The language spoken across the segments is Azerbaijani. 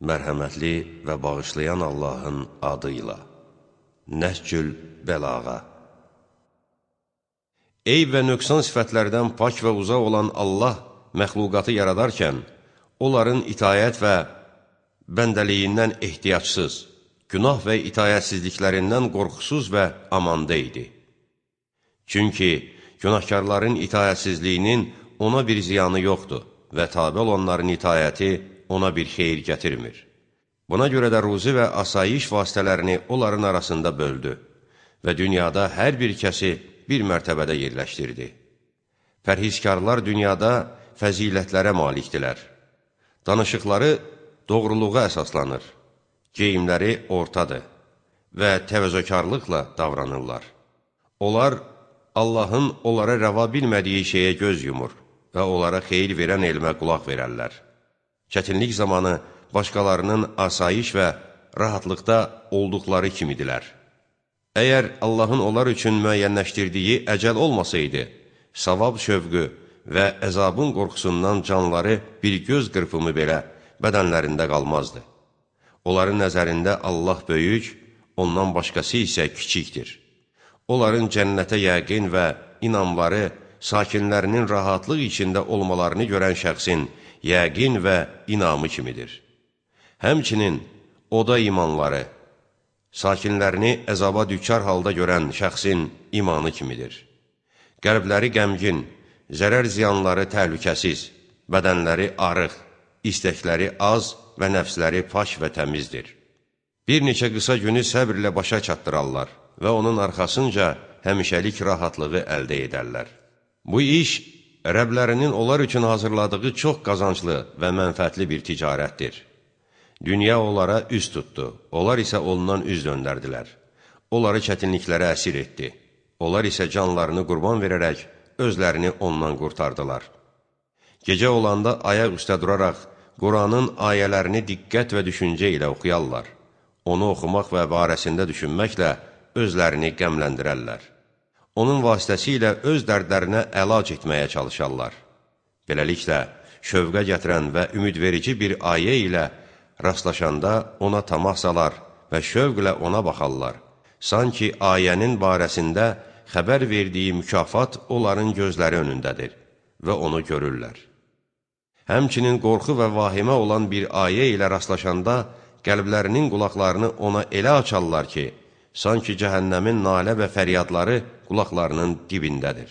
Mərhəmətli və bağışlayan Allahın adıyla. Nəhcül Bəlağa. Eyb və nöqsan sifətlərdən pak və uzaq olan Allah məxluqatı yaradarkən, onların itayət və bəndəliyindən ehtiyacsız, günah və itayətsizliklərindən qorxusuz və amanda idi. Çünki günahkarların itayətsizliyinin ona bir ziyanı yoxdur və tabi olanların itayəti ona bir xeyir gətirmir. Buna görə də ruzi və asayiş vasitələrini onların arasında böldü və dünyada hər bir kəsi bir mərtəbədə yerləşdirdi. Pərhizkarlar dünyada fəzilətlərə malikdilər. Danışıqları doğruluğa əsaslanır, geyimləri ortadır və təvəzzökarlıqla davranırlar. Onlar Allahın onlara rəva bilmədiyi şeyə göz yumur və onlara xeyir verən elmə qulaq verərlər. Çətinlik zamanı başqalarının asayiş və rahatlıqda olduqları kimidilər. Əgər Allahın onlar üçün müəyyənləşdirdiyi əcəl olmasaydı, savab şövqü və əzabın qorxusundan canları bir göz qırpımı belə bədənlərində qalmazdı. Onların nəzərində Allah böyük, ondan başqası isə kiçikdir. Onların cənnətə yəqin və inamları sakinlərinin rahatlıq içində olmalarını görən şəxsin yəqin və inamı kimidir. Həmçinin oda imanları, sakinlərini əzaba düçar halda görən şəxsin imanı kimidir. Qəlbləri qəmgin, zərər ziyanları təhlükəsiz, bədənləri arıq, istəkləri az və nəfsləri pak və təmizdir. Bir neçə qısa günü səbirlə başa çatdırarlar və onun arxasınca həmişəlik rahatlığı əldə edərlər. Bu iş, Rəblərinin onlar üçün hazırladığı çox qazanclı və mənfəətli bir ticarətdir. Dünya onlara üz tutdu, onlar isə ondan üz döndərdilər. Onları çətinliklərə əsir etdi. Onlar isə canlarını qurban verərək özlərini ondan qurtardılar. Gecə olanda ayaq üstə duraraq Quranın ayələrini diqqət və düşüncə ilə oxuyarlar. Onu oxumaq və barəsində düşünməklə özlərini qəmləndirərlər. Onun vasitəsilə öz dərdlərinə əlac etməyə çalışarlar. Beləliklə, şövqə gətirən və ümidverici bir ayə ilə rastlaşanda ona tamah salar və şövqlə ona baxarlar. Sanki ayənin barəsində xəbər verdiyi mükafat onların gözləri önündədir və onu görürlər. Həmçinin qorxu və vahimə olan bir ayə ilə rastlaşanda qəlblərinin qulaqlarını ona elə açarlar ki, sanki cəhənnəmin nalə və fəryadları qulaqlarının dibindədir.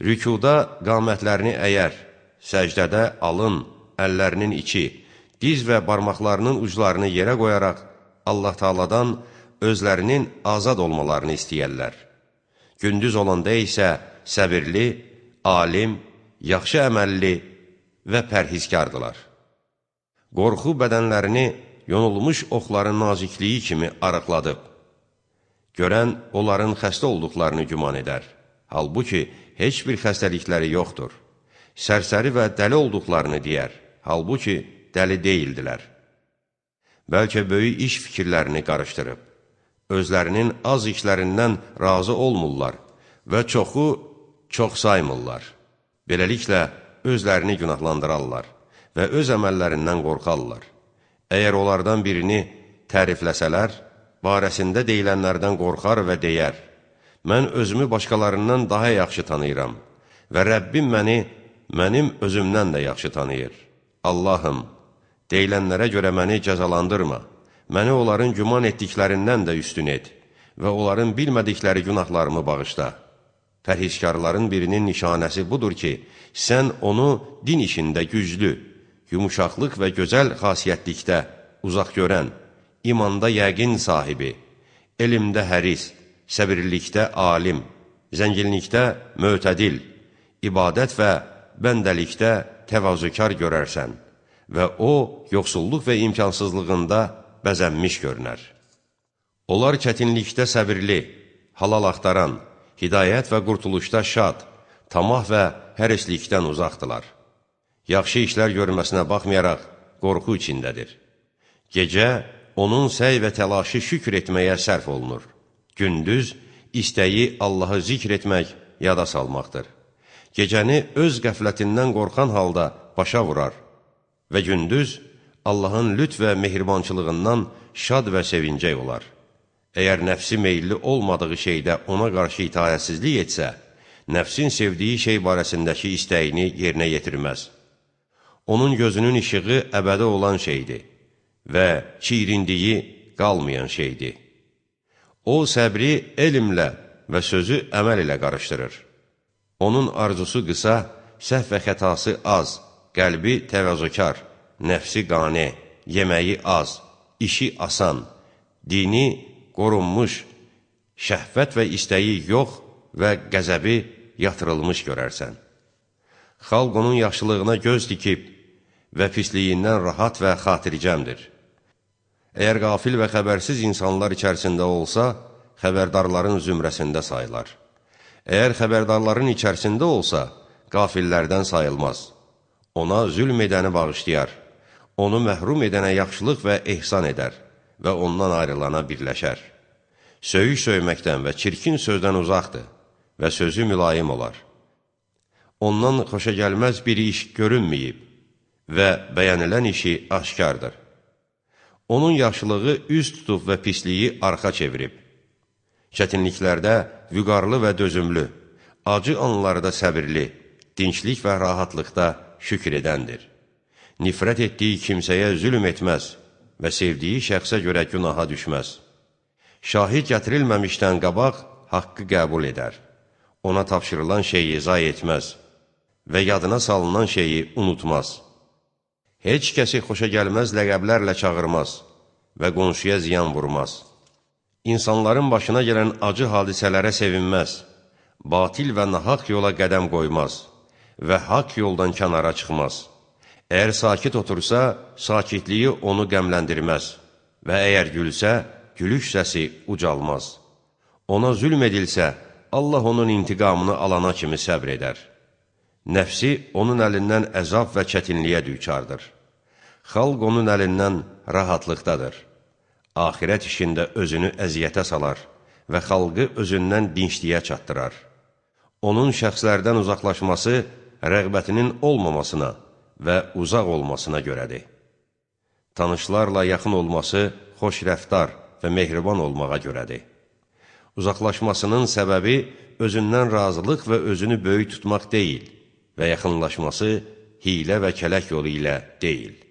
Rükuda qamətlərini əyər, səcdədə alın, əllərinin içi, diz və barmaqlarının uclarını yerə qoyaraq Allah Taala'dan özlərinin azad olmalarını istəyərlər. Gündüz olanda isə səbirli, alim, yaxşı əməlli və pərhizkardılar. Qorxu bədənlərini yonulmuş oxların nazikliyi kimi arıqladıb. Görən onların xəstə olduqlarını güman edər. Halbuki, heç bir xəstəlikləri yoxdur. Sərsəri və dəli olduqlarını deyər. Halbuki, dəli deyildilər. Bəlkə böyük iş fikirlərini qarışdırıb. Özlərinin az işlərindən razı olmurlar və çoxu çox saymırlar. Beləliklə, özlərini günahlandırarlar və öz əməllərindən qorxarlar. Əgər onlardan birini tərifləsələr, barəsində deyilənlərdən qorxar və deyər, mən özümü başqalarından daha yaxşı tanıyıram və Rəbbim məni mənim özümdən də yaxşı tanıyır. Allahım, deyilənlərə görə məni cəzalandırma, məni onların güman etdiklərindən də üstün et və onların bilmədikləri günahlarımı bağışla. Pərhizkarların birinin nişanəsi budur ki, sən onu din işində güclü, yumuşaqlıq və gözəl xasiyyətlikdə uzaq görən, imanda yəqin sahibi, elmdə həris, səbirlikdə alim, zənginlikdə mötədil, ibadət və bəndəlikdə təvazökar görərsən və o, yoxsulluq və imkansızlığında bəzənmiş görünər. Onlar çətinlikdə səbirli, halal axtaran, hidayət və qurtuluşda şad, tamah və hərislikdən uzaqdılar. Yaxşı işlər görməsinə baxmayaraq qorxu içindədir. Gecə, onun səy və təlaşı şükür etməyə sərf olunur. Gündüz, istəyi Allahı zikr etmək, yada salmaqdır. Gecəni öz qəflətindən qorxan halda başa vurar və gündüz Allahın lütf və mehribançılığından şad və sevincək olar. Əgər nəfsi meyilli olmadığı şeydə ona qarşı itayətsizlik etsə, nəfsin sevdiyi şey barəsindəki istəyini yerinə yetirməz. Onun gözünün işığı əbədi olan şeydir və çirindiyi qalmayan şeydir. O, səbri elmlə və sözü əməl ilə qarışdırır. Onun arzusu qısa, səhv və xətası az, qəlbi təvazökar, nəfsi qane, yeməyi az, işi asan, dini qorunmuş, şəhvət və istəyi yox və qəzəbi yatırılmış görərsən. Xalq onun yaxşılığına göz dikib və pisliyindən rahat və xatircəmdir. Əgər qafil və xəbərsiz insanlar içərisində olsa, xəbərdarların zümrəsində sayılar. Əgər xəbərdarların içərisində olsa, qafillərdən sayılmaz. Ona zülm edəni bağışlayar, onu məhrum edənə yaxşılıq və ehsan edər və ondan ayrılana birləşər. Söyüş söyməkdən və çirkin sözdən uzaqdır və sözü mülayim olar. Ondan xoşagəlməz bir iş görünməyib və bəyənilən işi aşkardır. Onun yaxşılığı üz tutub və pisliyi arxa çevirib. Çətinliklərdə vüqarlı və dözümlü, acı anlarda səbirli, dinçlik və rahatlıqda şükür edəndir. Nifrət etdiyi kimsəyə zülm etməz və sevdiyi şəxsə görə günaha düşməz. Şahid gətirilməmişdən qabaq haqqı qəbul edər. Ona tapşırılan şeyi zayi etməz və yadına salınan şeyi unutmaz. Heç kəsi xoşagəlməz ləqəblərlə çağırmaz və qonşuya ziyan vurmaz. İnsanların başına gələn acı hadisələrə sevinməz, batil və nahaq yola qədəm qoymaz və haqq yoldan kənara çıxmaz. Əgər sakit otursa, sakitliyi onu qəmləndirməz və əgər gülsə, gülüş səsi ucalmaz. Ona zülm edilsə, Allah onun intiqamını alana kimi səbr edər. Nəfsi onun əlindən əzab və çətinliyə düçardır. Xalq onun əlindən rahatlıqdadır. Axirət işində özünü əziyyətə salar və xalqı özündən dinçliyə çatdırar. Onun şəxslərdən uzaqlaşması rəğbətinin olmamasına və uzaq olmasına görədir. Tanışlarla yaxın olması xoş rəftar və mehriban olmağa görədir. Uzaqlaşmasının səbəbi özündən razılıq və özünü böyük tutmaq deyil və yaxınlaşması hilə və kələk yolu ilə deyil.